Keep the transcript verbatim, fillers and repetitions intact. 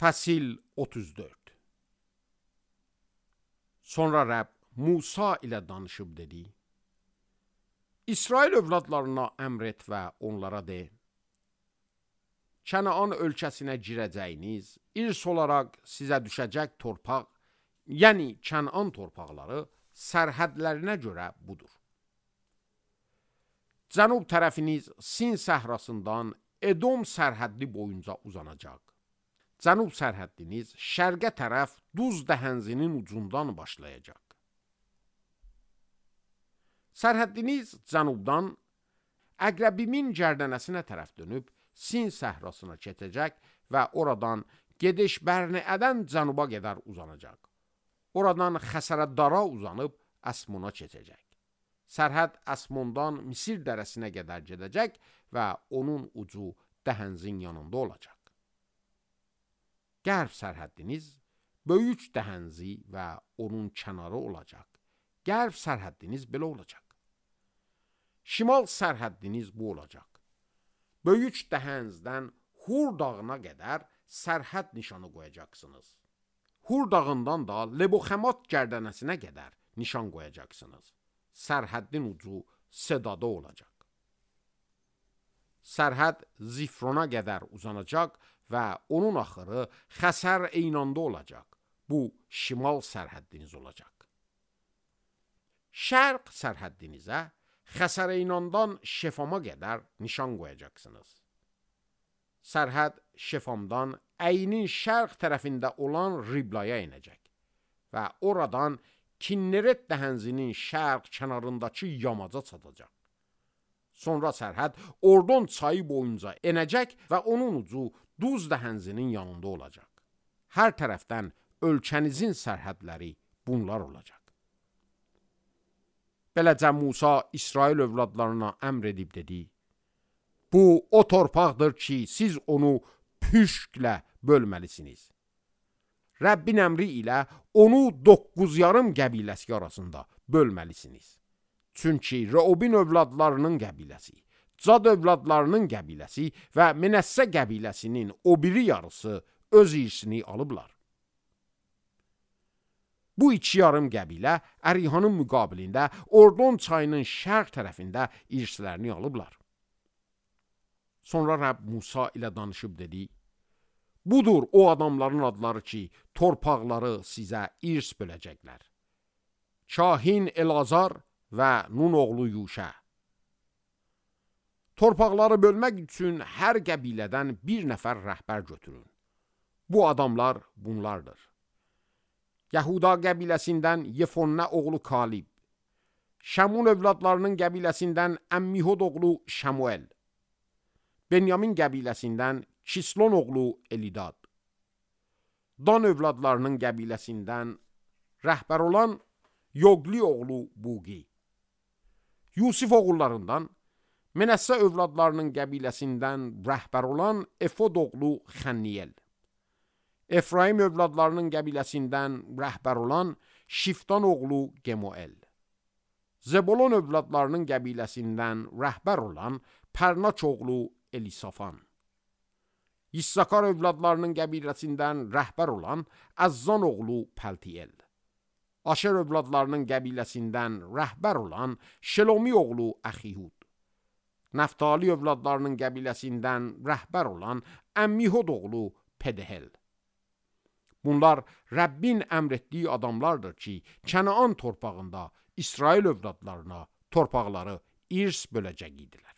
Fəsil otuz dörd. Sonra Rəbb Musa ilə danışıb dedi: İsrail övladlarına əmr et və onlara de: Kənaan ölkəsinə girəcəyiniz, irs olaraq sizə düşəcək torpaq, yəni Kənan torpaqları sərhədlərinə görə budur. Cənub tərəfiniz Sin səhrasından Edom sərhədli boyunca uzanacaq. Cənub sərhəddiniz şərqə tərəf Duz dəhənzinin ucundan başlayacaq. Sərhəddiniz cənubdan Əqrəbimin gərdənəsinə tərəf dönüb Sin səhrasına keçəcək və oradan Gedeş-Bərneədən cənuba qədər uzanacaq. Oradan Xəsərəddara uzanıb Əsmona keçəcək. Sərhəd Əsmondan Misir dərəsinə qədər gedəcək və onun ucu dəhənzin yanında olacaq. Qərb sərhəddiniz böyük dəhənzi və onun kənarı olacaq. Qərb sərhəddiniz belə olacaq. Şimal sərhəddiniz bu olacaq. Böyük dəhənzdən Hur dağına qədər sərhəd nişanı qoyacaqsınız. Hur dağından da Leboxəmat gərdənəsinə qədər nişan qoyacaqsınız. Sərhəddin ucu Sedada olacaq. Sərhəd Zifrona qədər uzanacaq və onun axırı Xəsər Eynanda olacaq. Bu, şimal sərhəddiniz olacaq. Şərq sərhəddinizə Xəsər Eynandan Şefama qədər nişan qoyacaqsınız. Sərhəd Şefamdan Əynin şərq tərəfində olan Riblaya inəcək və oradan Kinneret dəhənzinin şərq kənarındakı yamaca çatacaq. Sonra sərhəd Ordon çayı boyunca enəcək və onun ucu Duz dəhənzinin yanında olacaq. Hər tərəfdən ölkənizin sərhədləri bunlar olacaq. Beləcə Musa İsrail övladlarına əmr edib dedi: Bu o torpaqdır ki, siz onu püşklə bölməlisiniz. Rəbbin əmri ilə onu doqquz yarım qəbiləsi arasında bölməlisiniz. Çünki Reubin övladlarının qəbiləsi, Cad övladlarının qəbiləsi və Menəssə qəbiləsinin o biri yarısı öz irsini alıblar. Bu iki yarım qəbilə Ərihanın müqabilində Ordon çayının şərq tərəfində irslərini alıblar. Sonra Rəbb Musa ilə danışıb dedi: Budur o adamların adları ki, torpaqları sizə irs böləcəklər. Kahin Elazar və Nun oğlu Yuşə. Torpaqları bölmək üçün hər qəbilədən bir nəfər rəhbər götürün. Bu adamlar bunlardır: Yahuda qəbiləsindən Yefonnə oğlu Kalib, Şəmun övladlarının qəbiləsindən Əmmihod oğlu Şəmuel, Benyamin qəbiləsindən Kislon oğlu Elidad, Dan övladlarının qəbiləsindən rəhbər olan Yoqli oğlu Buqi, Yusif oğullarından Menəssə övladlarının qəbiləsindən rəhbər olan Efod oğlu Xənniyel, Efraim övladlarının qəbiləsindən rəhbər olan Şiftan oğlu Gemuel, Zebolon övladlarının qəbiləsindən rəhbər olan Pərnaç oğlu Elisafan, İssakar övladlarının qəbiləsindən rəhbər olan Əzzan oğlu Pəltiyel, Aşer övladlarının qəbiləsindən rəhbər olan Şelomi oğlu Əxihud, Nəftali övladlarının qəbiləsindən rəhbər olan Əmmihod oğlu Pedehel. Bunlar Rəbbin əmr etdiyi adamlardır ki, Kənaan torpağında İsrail övladlarına torpaqları irs böləcək idilər.